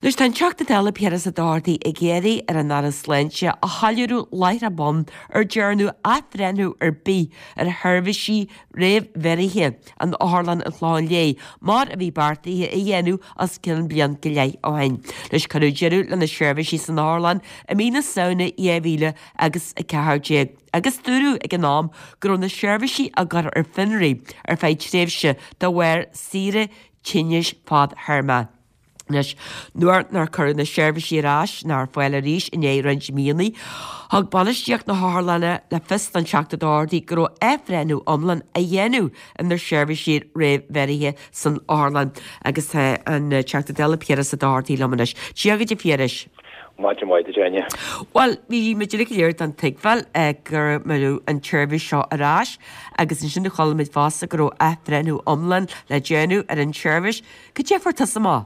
Anois tá an Teachta Dála Piaras Ó Dochartaigh ag iarraidh ar an Aire Sláinte a shoiléiriú láithreach bonn ar dearnadh athbhreithniú ar bith ar sheirbhísí réamhbheirthe in Otharlann an Chlocháin Léith mar a bhí beartaithe a dhéanamh os cionn bliain go leith ó shin. Anois cuireadh deireadh le na seirbhísí san otharlann i mí na Samhna 2000 agus 14 agus dúradh ag an am go raibh na seirbhísí á gcur ar fionraí ar feadh tréimhse de bharr saoire tinnis fadthéarma. Anois, nuair nár cuireadh na seirbhísí ar ais ná ar fáil arís i ndiaidh roinnt míonna, thug bainistíocht na hotharlainne le fios don Teachta Doherty go raibh athbhreithniú iomlán á dhéanamh ar na seirbhísí réamhbheirthe san otharlann. Agus tá an Teachta Dála Piaras Ó Dochartaigh liom anois. Dia dhuit a Phiarais. Maidin mhaith duit, Áine. Bhuel, bhí muid uilig go léir den tuigbheáil go mbeadh an tseirbhís seo ar ais agus ansin chuala muid fosta go raibh athbhreithniú iomlán le déanamh ar an tseirbhís. Cad é a fuair tusa amach?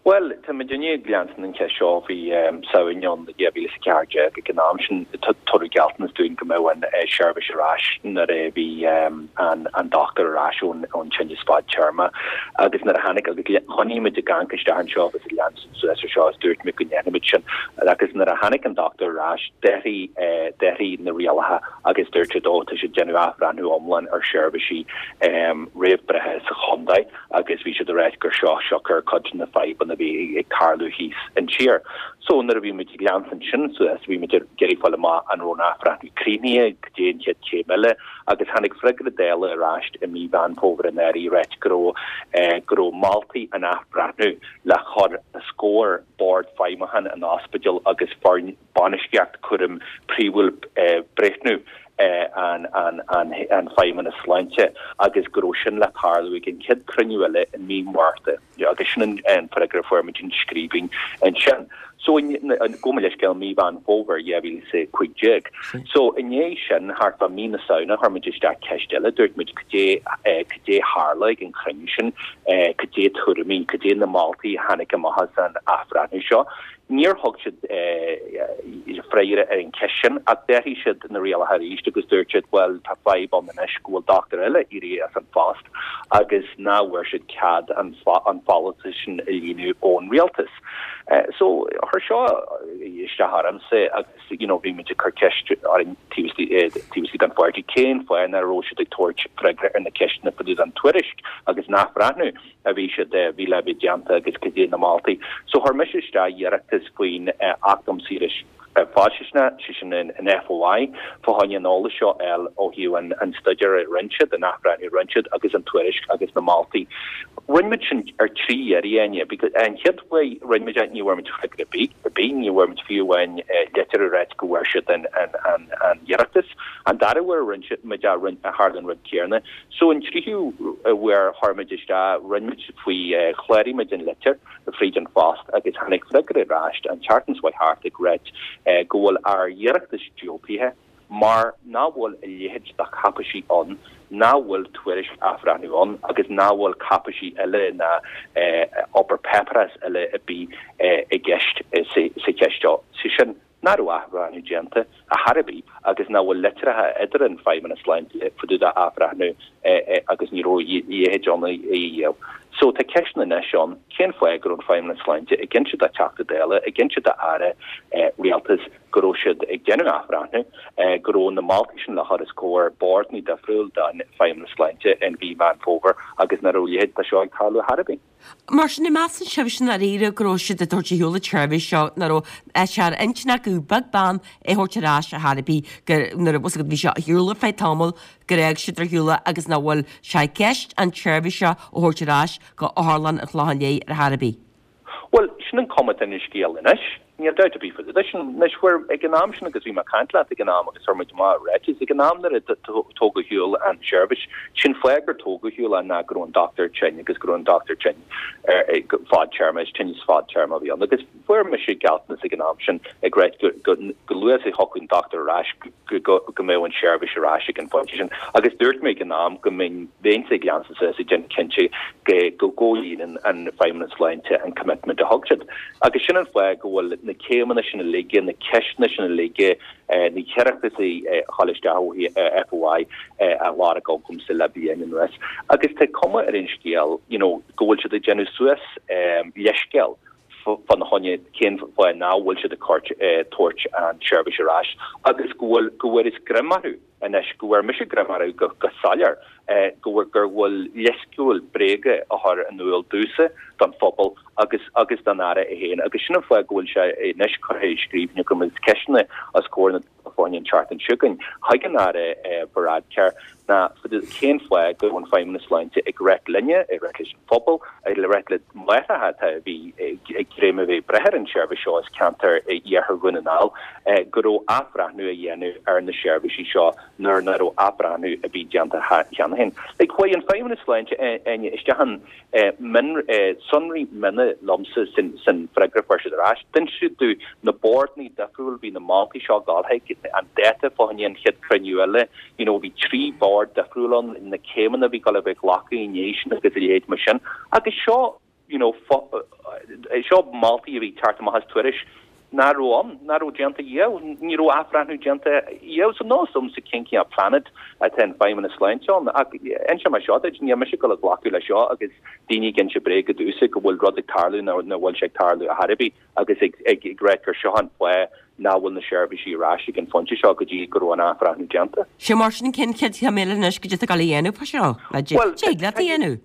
Bhuel, tá muidinne ag leanstan an cheist seo ó bhí Samhain ann 2014. Ag an am sin, tugadh gealltanas dúinn go mbeadh an seirbhís ar ais nuair a bhí an dochtúir ar ais ón tinneas fadtéarma. Agus nuair a tháinig, agus choinnigh muid ag amharc isteach anseo agus ag leanstan suas ar seo agus dúirt muid go ndéanfaimid sin. Agus nuair a tháinig an dochtúir ar ais, d'athraigh, d'athraigh na rialacha agus dúirt siad, ó, tá siad ag déanamh athbhreithniú iomlán ar sheirbhísí réamhbhreithe sa chontae. agus bhí siad ag ráit gur seo siocair cuid de na fadhbanna a bhí ag tarlú thíos an tír. So nuair a bhí muid ag leanstan sin suas, bhí muid ag iarraidh fáil amach an raibh an athbhreithniú críochnaithe, cad é an chéad chéim eile, agus tháinig freagra Dála ar ais i mí Mheán Fómhair anuraidh ag ráit go raibh go raibh moltaí an athbhreithniú le cur os comhair Bord Feidhmiúcháin an ospidéil agus foireann bainistíocht cúraim príomhúil breithniú an Feidhmeannas Sláinte agus go raibh sin le tarlú ag an chéad cruinniú eile i mí Márta agus sin an freagra a fuair muid i scríbhinn ansin. So gabh mo leithscéal mí Mheán Fómhair 2015. So i ndiaidh sin thart fá mí na Samhna chuir muid isteach ceist eile, dúirt muid cad é cad é tharla ag an chruinniú sin, cad é tuairimí, cad é na moltaí a tháinig amach as an athbhreithniú seo. Níor thug siad freagra ar an cheist sin ach d'athraigh siad na rialacha arís agus dúirt siad bhuel tá fadhb ann anois go bhfuil dochtúir eile éirithe as an phost agus nach bhfuair siad cead an folúntas sin a líonadh ón rialtas. So chuir seo isteach ormsa agus you know bhí muid ag cur ceist orainn taobh istigh den pháirtí cén fáth nach raibh siad ag tabhairt freagra ar na ceisteanna fá dtaobh den tuairisc agus an athbhreithniú. a bhí siad, a bhí le bheith déanta agus cad é na moltaí. So chuir mise isteach iarratas faoin Acht um Saoire Faisnéise, sé sin an FOI, fá choinne an eolas seo a fháil ó thaobh an staidéar a rinne siad, an athbhreithniú a rinne siad agus an tuairisc agus na moltaí. Rinne muid sin ar thrí iarraidh, Áine, because an chéad uair a rinne muid é ní bhfuair muid freagra ar bith, ar bith, ní bhfuair muid fiú amháin litir ag ráit go bhfuair siad an iarratas. An dara huair a rinne muid é, tharla an rud céanna. So an tríú uair a chuir muid isteach, rinne muid faoi, chláraigh muid an litir fríd an phost agus tháinig freagra ar ais an tseachtain seo thart ag ráit go bhfuil ár iarratas diúltaithe mar nach bhfuil a leithéid de cháipéisí ann, nach bhfuil tuairisc athbhreithniú ann agus nach bhfuil cáipéisí eile ná obair páipéarachas eile ar bith i gceist sa cheist seo. Sé sin, nach raibh athbhreithniú déanta ar chor ar bith agus nach bhfuil litreacha idir an Feidhmeannas Sláinte fá dtaobh d'athbhreithniú agus ní raibh a leithéid ann ina dhiaidh. So tá ceisteanna anois ann, cén fáth go raibh an Feidhmeannas Sláinte ag inse do Theachta Dála, ag inse d'Aire Rialtais go raibh siad ag déanamh athbhreithniú, go raibh na moltaí sin le chur os comhair boird difriúil den Feidhmeannas Sláinte in mhí Mheán Fómhair agus nach raibh a leithéid de seo ag tarlú ar chor ar bith. Mar sin, an measann sibhse i ndáiríre go raibh siad ag tabhairt ar shiúl an tseirbhís seo, nach raibh sé ar intinn acu beag beann é a thabhairt ar ais ar chor ar bith, gur, nuair a bhí a fhios agat, bhí sé ar shiúl ar feadh tamaill, gur fhág siad ar shiúl é agus nach bhfuil sé i gceist an tseirbhís seo a thabhairt ar ais go Otharlann an Chlocháin Léith ar chor ar bith. Bhuel, sin an cuma atá ar an scéal anois. Níl dabht ar bith faoi leis. Anois, fuair, ag an am sin agus bhí mé ag caint leat ag an am agus chuir muid amach ráiteas, ag an am nuair a tógadh ar shiúl an tseirbhís, sé'n fáth gur tógadh ar shiúl é ná go raibh an dochtúir tinn agus go raibh an dochtúir tinn ar fadtéarma, is tinneas fadtéarma a bhí ann agus fuair mise gealltanas ag an am sin ag ráit go, go, go luath is a thiocfadh an dochtúir ar ais go, go mbeadh an tseirbhís ar ais ag an phointe sin agus dúirt mé ag an am go mbeinn, bheinnse ag leanstan suas ag déanamh cinnte go, go gcomhlíonann an Feidhmeannas Sláinte an commitment a thug siad. Agus sin an fáth go bhfuil na céimeanna sin uilig, na ceisteanna sin uilig, na hiarrataisí a chuir isteach ó FOI á lorg agamsa le bliain anuas. Agus tá cuma ar an scéal you know go bhfuil siad ag déanamh suas leithscéal. Fána choinne cén fáth nach bhfuil siad ag tabhairt an tseirbhís ar ais agus go bhfuil, go bhfuarthas greim orthu anois, go bhfuair mise greim orthu go, go soiléir, go bhfuil, gur bhfuil leithscéal bréige á chur in iúl domhsa, don phobal agus, agus don Aire é féin agus sin an fáth go bhfuil sé anois curtha i scríbhinn agam agus ceisteanna os comhair na fá choinne an tseachtain seo chugainn chuig an Aire Varadkar ná cén fáth go raibh an Feidhmeannas Sláinte ag ráit linne, ag ráit leis an phobal, ag ráit le máithreacha atá a bhí ag dréim a bheith ag breith ar an tseirbhís seo as ceantar iarthar Dhún na nGall, go raibh athbhreithniú á dhéanamh ar na seirbhísí seo nuair nach raibh athbhreithniú ar bith déanta cheana féin. Like, chuaigh an Feidhmeannas Sláinte isteach in sonraí miona liomsa san freagra a fuair siad ar ais. D'inis siad domh na boird difriúil, bhí na moltaí seo ag dul chuig, an dáta fá choinne an chéad cruinniú eile, you know bhí 3 bhord difriúil ann, na céimeanna a bhí ag dul a bheith glactha i ndiaidh sin agus a leithéid mar sin. Agus seo, you know, seo moltaí a bhí ag teacht amach as tuairisc nach raibh ann, nach raibh déanta riamh, ní raibh athbhreithniú déanta riamh. So níl a fhios a'msa cén cineál planet atá an Feidhmeannas Sláinte ann. Ach inseoidh mé seo duit, níl mise ag dul a ghlacadh leis seo agus daoine ag inse bréaga domhsa go bhfuil rud ag tarlú nach bhfuil sé ag tarlú ar chor ar bith agus ag ag ráit gur seo an fáth nach bhfuil na seirbhísí ar ais ag an phointe seo go dtí go raibh an athbhreithniú déanta. Sé mar sin cén chéad chéim eile anois goidé atá ag dul a dhéanamh fá seo? Bhuel, Tig leat a dhéanamh?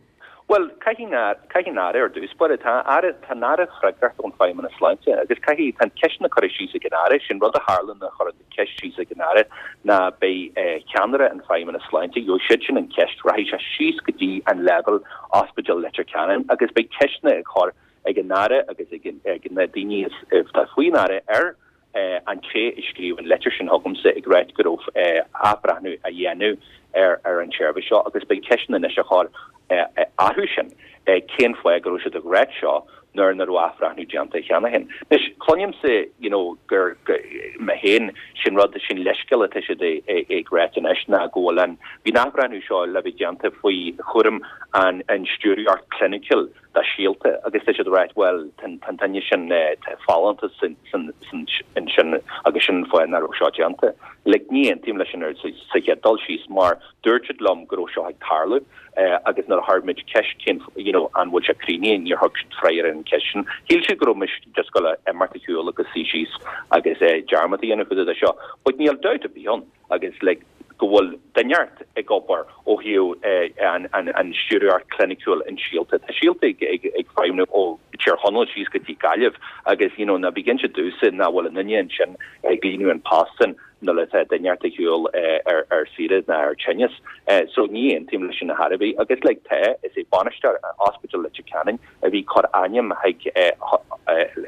Bhuel, caithfidh an, caithfidh an Aire ar dtús báire, tá Aire, tá an Aire freagrach don Feidhmeannas Sláinte agus caithfidh, tá ceisteanna curtha síos ag an Aire, sin rud a tharla nuair a chuir an ceist síos ag an Aire ná beidh ceannaire an Feidhmeannas Sláinte, gheobhaidh siad sin an cheist, rachaidh sé síos go dtí an leibhéal Ospidéal Leitir Ceanainn agus beidh ceisteanna ag chur ag an Aire agus ag na daoine atá faoin Aire ar an té a scríobh an litir sin chugamsa ag ráit go raibh athbhreithniú á dhéanamh ar an tseirbhís seo agus beidh ceisteanna anois á chur orthu sin cén fáth go raibh siad ag ráit seo nuair nach raibh athbhreithniú déanta cheana féin. Anois, cluinimse you know gur mé féin sin rud, sin leithscéal atá siad ag ráit anois ná go bhfuil an, bhí an athbhreithniú seo le bheith déanta faoi chúram an stiúrthóireacht cliniciúil do Síolta agus tá siad ag ráit bhuel tá an duine sin tá folúntas ansin agus sin an fáth nach raibh seo déanta. Like ní aontaím leis sin ar sa chéad dul síos mar dúirt siad liom go raibh seo ag tarlú agus nuair a chuir muid ceist cén you know an bhfuil sé críochnaithe níor thug siad freagra ar an cheist sin. Shíl siad go raibh mise just ag dul a imeacht ar shiúl agus suí síos agus dearmad a dhéanamh de seo but níl dabht ar bith ann agus like go bhfuil duine inteacht ag obair ó thaobh an stiúrthóireacht cliniciúil in Síolta. Tá Síolta ag feidhmiú ó Tír Chonaill síos go dtí Gaillimh agus you know ná bí ag inse domhsa nach bhfuil aon duine ansin ag líonadh an post sin nuair atá duine inteacht ar shiúl ar saoire ná ar tinneas. So ní aontaím leis sin ar chor ar bith agus like tá, is é bainisteoir Ospidéal Leitir Ceanainn a bhí ag cur ainm chuig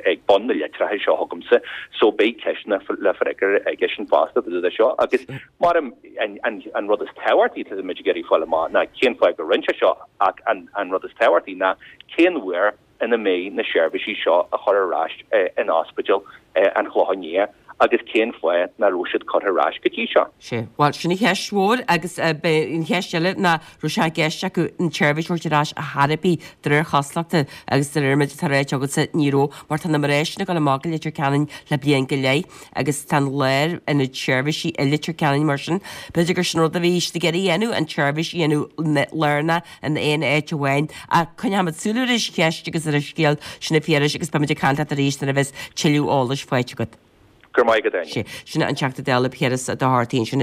ag bun na litreacha seo chugamsa so beidh ceisteanna le freagairt aigesean fosta fá dtaobh de seo agus mar an rud is tábhachtaí atá muid ag iarraidh fáil amach ná cén fáth go rinne sé seo ach an rud is tábhachtaí ná cén uair ina mbeidh na seirbhísí seo á chur ar ais in Ospidéal an Chlocháin Liath agus cén fáth nach raibh siad curtha ar ais go dtí seo. Sea, bhuel, sin an cheist mhór agus beidh an cheist eile ná raibh sé i gceist acu an tseirbhís a thabhairt ar ais ar chor ar bith de réir chosúlachta agus de réir an méid atá ráite agatsa ní raibh mar tá na mná sin ag dul amach go Leitir Ceanainn le bliain go leith agus tá an lárionad seirbhísí i Leitir Ceanainn mar sin b'fhéidir gur sin rud a bhí siad ag iarraidh a dhéanamh an tseirbhís a dhéanamh lárnach in aon áit amháin ach coinneoimid súil ar an cheist agus ar an scéal sin a Phiarais agus beimid ag caint leat arís nuair a bheas tuilleadh eolais faighte agat. Go raibh maith agat, Áine. Sin an Teachta Dála Piaras Ó Dochartaigh ansin.